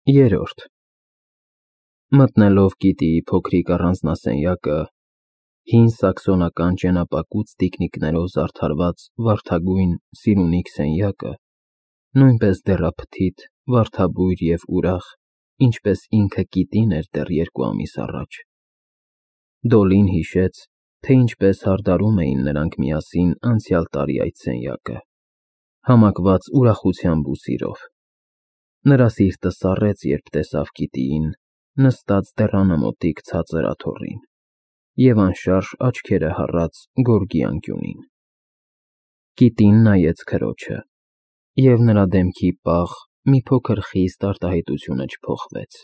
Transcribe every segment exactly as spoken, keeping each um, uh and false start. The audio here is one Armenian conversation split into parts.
Երորդ Մտնելով գիտիի փոքրիկ առանձնասենյակը, հին սաքսոնական ճենապակուց տիկնիկներով զարդարված վարդագույն սիրունիկ սենյակը նույնպես դեռափթիթ, վարդաբույր և ուրախ, ինչպես ինքը Կիտին էր դեռ երկու ամիս առաջ, Դոլին հիշեց, թե ինչպես հարդարում էին նրանք միասին անցյալ տարի այդ սենյակը, համակված ուրախությամբ ու սիրով, նրա սիրտը սառեց, երբ տեսավ Կիտիին, նստած դռանամոտիկ ցածր աթոռին և անշարժ աչքերը հառած գորգի անկյունին, Կիտին նայեց քրոջը, և նրա դեմքի պաղ, մի փոքր խիստ արտահայտությունը չփոխվեց.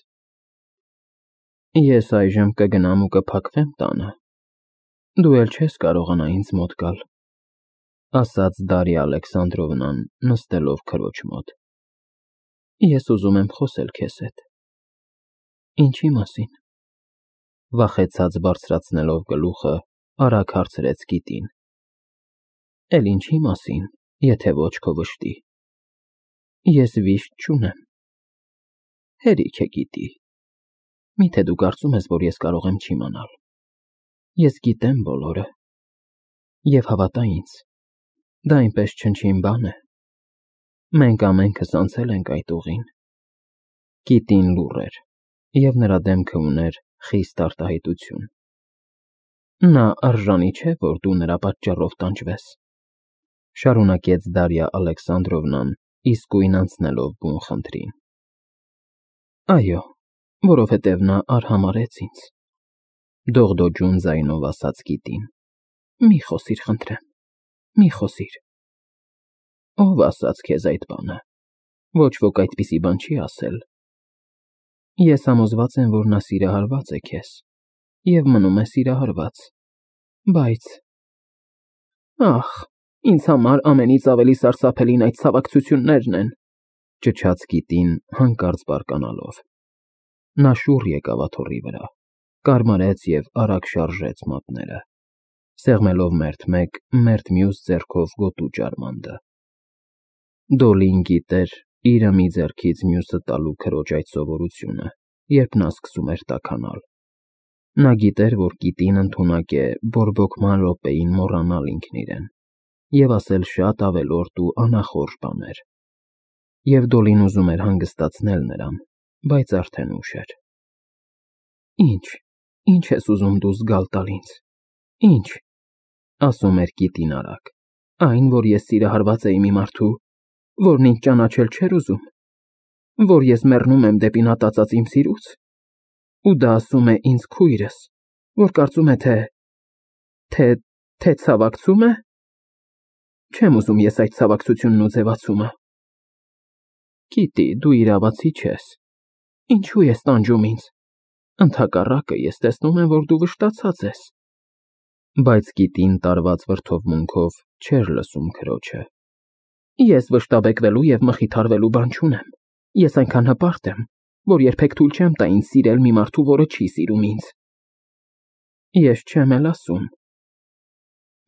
Ես այժմ կգնամ ու կփակվեմ տանը, դու էլ չես կարողանա ինձ մոտ գալ, ասաց Դարիա Ալեքսանդրովնան, նստելով քրոջ մոտ, ես ուզում եմ խոսել քեզ հետ, ինչի մասին, վախեցած բարձրացնելով գլուխը, արագ հարցրեց Կիտին, էլ ինչի մասին, եթե ոչ քո վշտի, ես վիշտ չունեմ, հերիք է Կիտի, միթե դու կարծում ես, որ ես կարող եմ չիմանալ, ես գիտեմ բոլորը, և հավատա ինձ, դա այնպես չնչին բան է, մենք ամենքս անցել ենք այդ ուղին, Կիտին լուռ էր, և նրա դեմքը ուներ խիստ արտահայտություն, նա արժանի չէ, որ դու նրա պատճառով տանջվես, շարունակեց Դարիա Ալեքսանդրովնան, իսկույն անցնելով բուն խնդրին, այո, որովհետև նա արհամարհեց ինձ, դողդոջուն ձայնով ասաց Կիտին, մի խոսիր խնդրեմ, մի խոսիր, ով ասաց քեզ այդ բանը, ոչ ոք այդպիսի բան չի ասել, ես համոզված եմ, որ նա սիրահարված է քեզ և մնում է սիրահարված, բայց, ախ, ինձ համար ամենից ավելի սարսափելին այդ ցավակցություններն են, ճչաց Կիտին հանկարծ բարկանալով, նա շուռ եկավ աթոռի վրա, կարմարեց և արագ շարժեց մատները, սեղմելով մերթ մեկ, մերթ մյուս ձեռքով գոտու ջարմանդը, Դոլին գիտեր իրը մի ձեռքից մյուսը տալու քրոջ այդ սովորությունը, երբ նա սկսում էր տաքանալ, նա գիտեր, որ Կիտին ընդունակ է բորբոքման րոպեին մոռանալ ինքն իրեն և ասել շատ ավելորդ ու անախորժ բաներ, և Դոլին ուզում էր հանգստացնել նրան, բայց արդեն ուշ էր, Ինչ, ինչ ես ուզում դու զգալ տալ ինձ, ինչ, ասում էր Կիտին արագ, այն, որ ես սիրահարված էի մի մարդու, որն ինձ ճանաչել չէր ուզում, որ ես մեռնում եմ դեպի նա տածած իմ սիրուց, ու դա ասում է ինձ քույրս, որ կարծում է, թե, թե, թե ցավակցում է, չեմ ուզում ես այդ ցավակցությունն ու ձևացումը, Կիտի, դու իրավացի չես, ինչու ես տանջում ինձ, ընդհակառակը ես տեսնում եմ, որ դու վշտացած ես, բայց Կիտին տարված վրդովմունքով չէր լսում քրոջը, ես վշտաբեկվելու և մխիթարվելու բան չունեմ, ես այնքան հպարտ եմ, որ երբեք թույլ չեմ տա ինձ սիրել մի մարդու, որը չի սիրում ինձ, ես չեմ էլ ասում,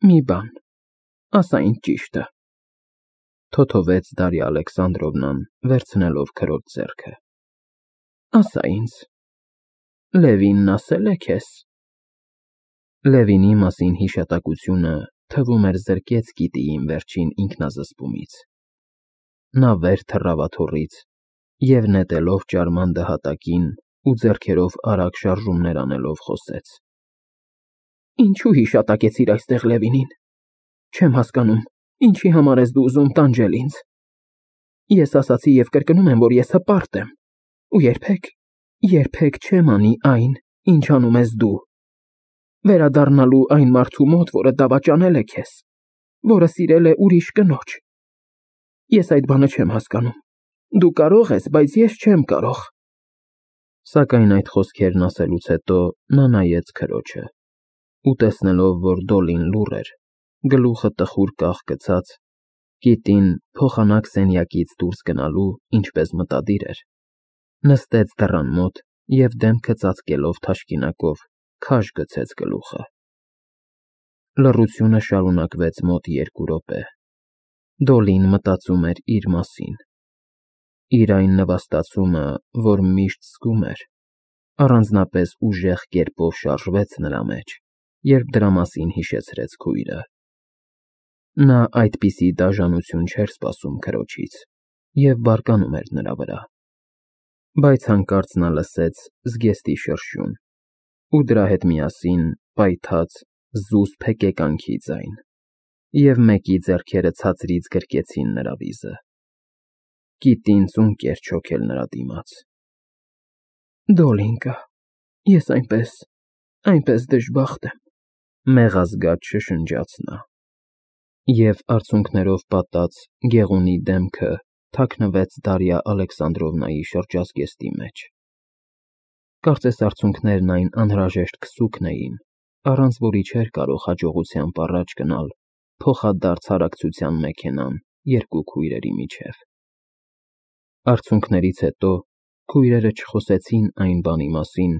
մի բան, ասա ինձ ճիշտը, թոթովեց Դարիա Ալեքսանդրովնան, վերցնելով քրոջ ձեռքը, ասա ինձ, Լևինն ասել է քեզ, Լևինի մասին հիշատակությունը, թվում էր զրկեց Կիտիին վերջին ինքնազսպումից, նա վեր թռավ աթոռից և նետելով ջարմանդը հատակին ու ձեռքերով արագ շարժումներ անելով խոսեց, Ինչու հիշատակեցիր այստեղ Լևինին, չեմ հասկանում, ինչի համար ես դու ուզում տանջել ինձ, ես ասացի և կրկնում եմ, որ ես հպարտ եմ, ու երբեք, երբեք չեմ անի այն, ինչ անում ես դու, վերադառնալու այն մարդու մոտ, որը դավաճանել է քեզ, որը սիրել է ուրիշ կնոջ, ես այդ բանը չեմ հասկանում, դու կարող ես, բայց ես չեմ կարող, սակայն այդ խոսքերն ասելուց հետո նա նայեց քրոջը, ու տեսնելով, որ Դոլին լուռ էր, գլուխը տխուր կաղ գցած, Կիտին փոխանակ սենյակից դուրս գնալու, ինչպես մտադիր էր, նստեց դռան մոտ և դեմքը ծածկելով թաշկինակով, քաշ գցեց գլուխը, լռությունը շարունակվեց մոտ երկու րոպե, Դոլին մտածում էր իր մասին, իր այն նվաստացումը, որ միշտ զգում էր, առանձնապես ուժեղ կերպով շարժվեց նրա մեջ, երբ դրա մասին հիշեցրեց քույրը։ Նա այդպիսի դաժանություն չէր սպասում քրոջից և բարկանում էր նրա վրա, բայց հանկարծ նա լսեց զգեստի շրշյուն ու դրա հետ միասին պայթած զուսպ հեկեկանքի ձայն, և մեկի ձեռքերը ցածրից գրկեցին նրա վիզը։ Կիտին ծունկ էր չոքել նրա դիմաց։ Դոլինկա, ես այնպես, այնպես դժբախտ եմ, մեղազգաց շշնջաց նա, և արցունքներով պատած գեղունի դեմքը թաքնվեց Դարիա Ալեքսանդրովնայի շրջազգեստի մեջ։ Կարծես արցունքներն այն անհրաժեշտ քսուքն էին, առանց որի չէր կարող հաջողությամբ առաջ գնալ փոխադարձ հարակցության մեքենան երկու քույրերի միջև։ Արցունքներից հետո քույրերը չխոսեցին այն բանի մասին,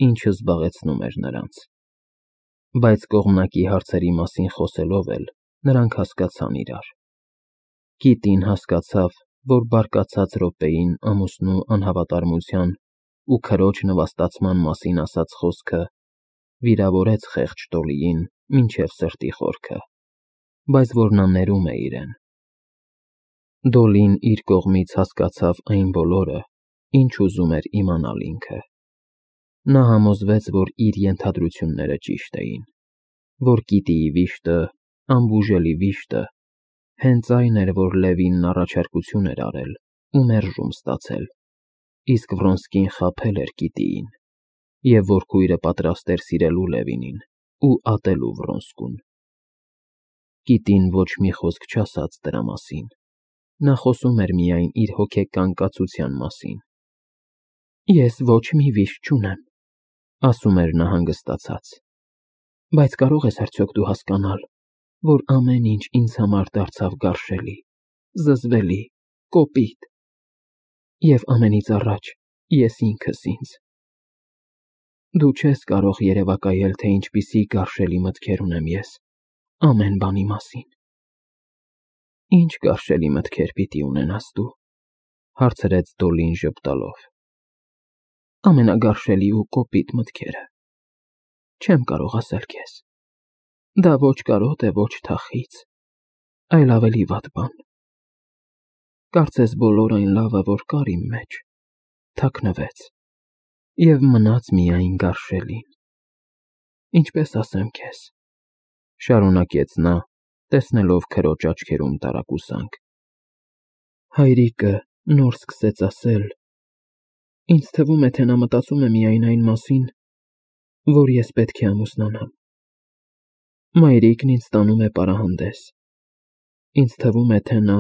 ինչը զբաղեցնում էր նրանց, բայց կողմնակի հարցերի մասին խոսելով էլ նրանք հասկացան իրար։ Կիտին հասկացավ, որ բարկացած րոպեին ամուսնու անհավատարմության ու քրոջ նվաստացման մասին ասած խոսքը վիրավորեց խեղճ Դոլիին մինչև սրտի խորքը, բայց որ նա ներում է իրեն։ Դոլին իր կողմից հասկացավ այն բոլորը, ինչ ուզում էր իմանալ ինքը։ Նա համոզվեց, որ իր ենթադրությունները ճիշտ էին, որ Կիտիի վիշտը, անբուժելի վիշտը, հենց այն էր, որ Լևինն առաջարկություն էր արել ու մերժում ստացել, իսկ Վրոնսկին խաբել էր Կիտիին, և որ քույրը պատրաստ էր սիրելու Լևինին ու ատելու Վրոնսկուն։ Կիտին ոչ մի խոսք չասաց դրա մասին, նա խոսում էր միայն իր հոգեկան կացության մասին։ Ես ոչ մի վիշտ չունեմ, ասում էր նա հանգստացած, բայց կարո՞ղ ես արդյոք դու հասկանալ, որ ամեն ինչ ինձ համար դարձավ գարշելի, զզվելի, կոպիտ, և ամենից առաջ ես ինքս ինձ։ Դու չես կարող երևակայել, թե ինչպիսի գարշելի մտքեր ունեմ ես ամեն բանի մասին։ Ինչ գարշելի մտքեր պիտի ունենաս դու, հարցրեց Դոլին ժպտալով։ Ամենագարշելի ու կոպիտ մտքերը։ Չեմ կարող ասել քեզ։ Դա ոչ կարոտ է, ոչ թախիծ, այլ ավելի վատ բան։ Կարծես բոլոր այն լավը, որ կար իմ մեջ, թաքնվեց և մնաց միայն գարշելին։ Ինչպես ասեմ քեզ, շարունակեց նա, տեսնելով քրոջ աչքերում տարակուսանք։ Հայրիկը նոր սկսեց ասել, ինձ թվում է, թե նա մտածում է միայն այն մասին, որ ես պետք է ամուսնանամ։ Մայրիկն ինձ տանում է պարահանդես։ Ինձ թվում է, թե նա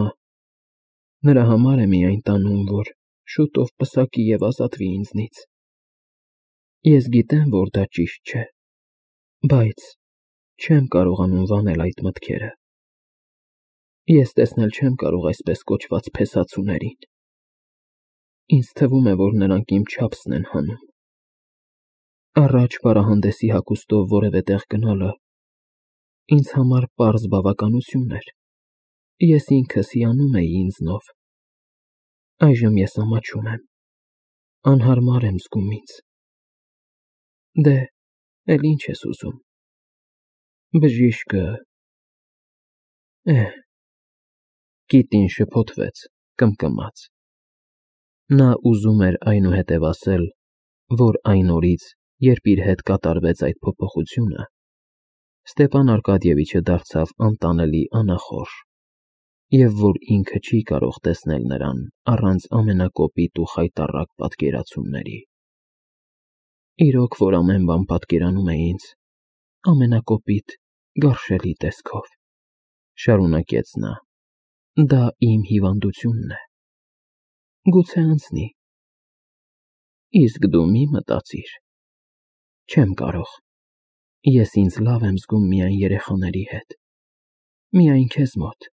նրա համար է միայն տանում, որ շուտով պսակի և ազատվի ինձնից։ Ես գիտեմ, որ դա ճիշտ չէ, բայց չեմ կարողանում վանել այդ մտքերը։ Ես տեսնել չեմ կարող այսպես կոչված փեսացուներին։ Ինձ թվում է, որ նրանք իմ չափսն են հանում։ Առաջ պարահանդեսի հագուստով որևէ տեղ գնալը ինձ համար պարզ բավականություն էր։ Ես ինքս հիանում էի ինձնով։ Այժմ ես ամաչում եմ, անհարմար եմ զգում ինձ։ Դե, էլ ինչ ես ուզում։ Բժիշկը… Էհ… Կիտին շփոթվեց, կմկմաց։ Նա ուզում էր այնուհետև ասել, որ այն օրից, երբ իր հետ կատարվեց այդ փոփոխությունը, Ստեփան Արկադիևիչը դարձավ անտանելի անախորժ, և որ ինքը չի կարող տեսնել նրան առանց ամենակոպիտ ու խայտառակ պատկերացումների։ Իրոք որ ամեն բան պատկերանում է ինձ ամենակոպիտ, գարշելի տեսքով, շարունակեց նա, դա իմ հիվանդությունն է։ Գուցե անցնի։ Իսկ դու մի մտածիր։ Չեմ կարող։ Ես ինձ լավ եմ զգում միայն երեխաների հետ, միայն քեզ մոտ։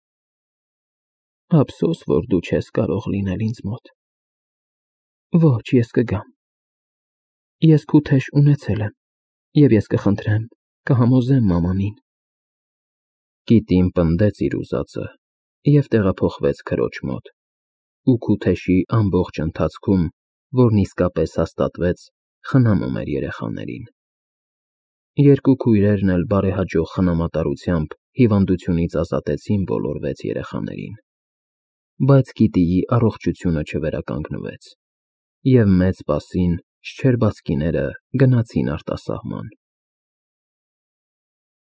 Ափսոս, որ դու չես կարող լինել ինձ մոտ։ Ոչ, ես կգամ։ Ես քու թեժ ունեցել եմ, և ես կխնդրեմ, կհամոզեմ մամանին։ Կիտին պնդեց իր ուզածը և տեղափոխվեց քրոջ մոտ, ու Քութեշի ամբողջ ընթացքում, որն իսկապես հաստատվեց, խնամում էր երեխաներին։ Երկու քույրերն էլ բարեհաջող խնամատարությամբ հիվանդությունից ազատեցին բոլոր վեց երեխաներին, բայց Կիտիի առողջությունը չվերականգնվեց, և մեծ պասին շչերբացքիները գնացին արտասահման։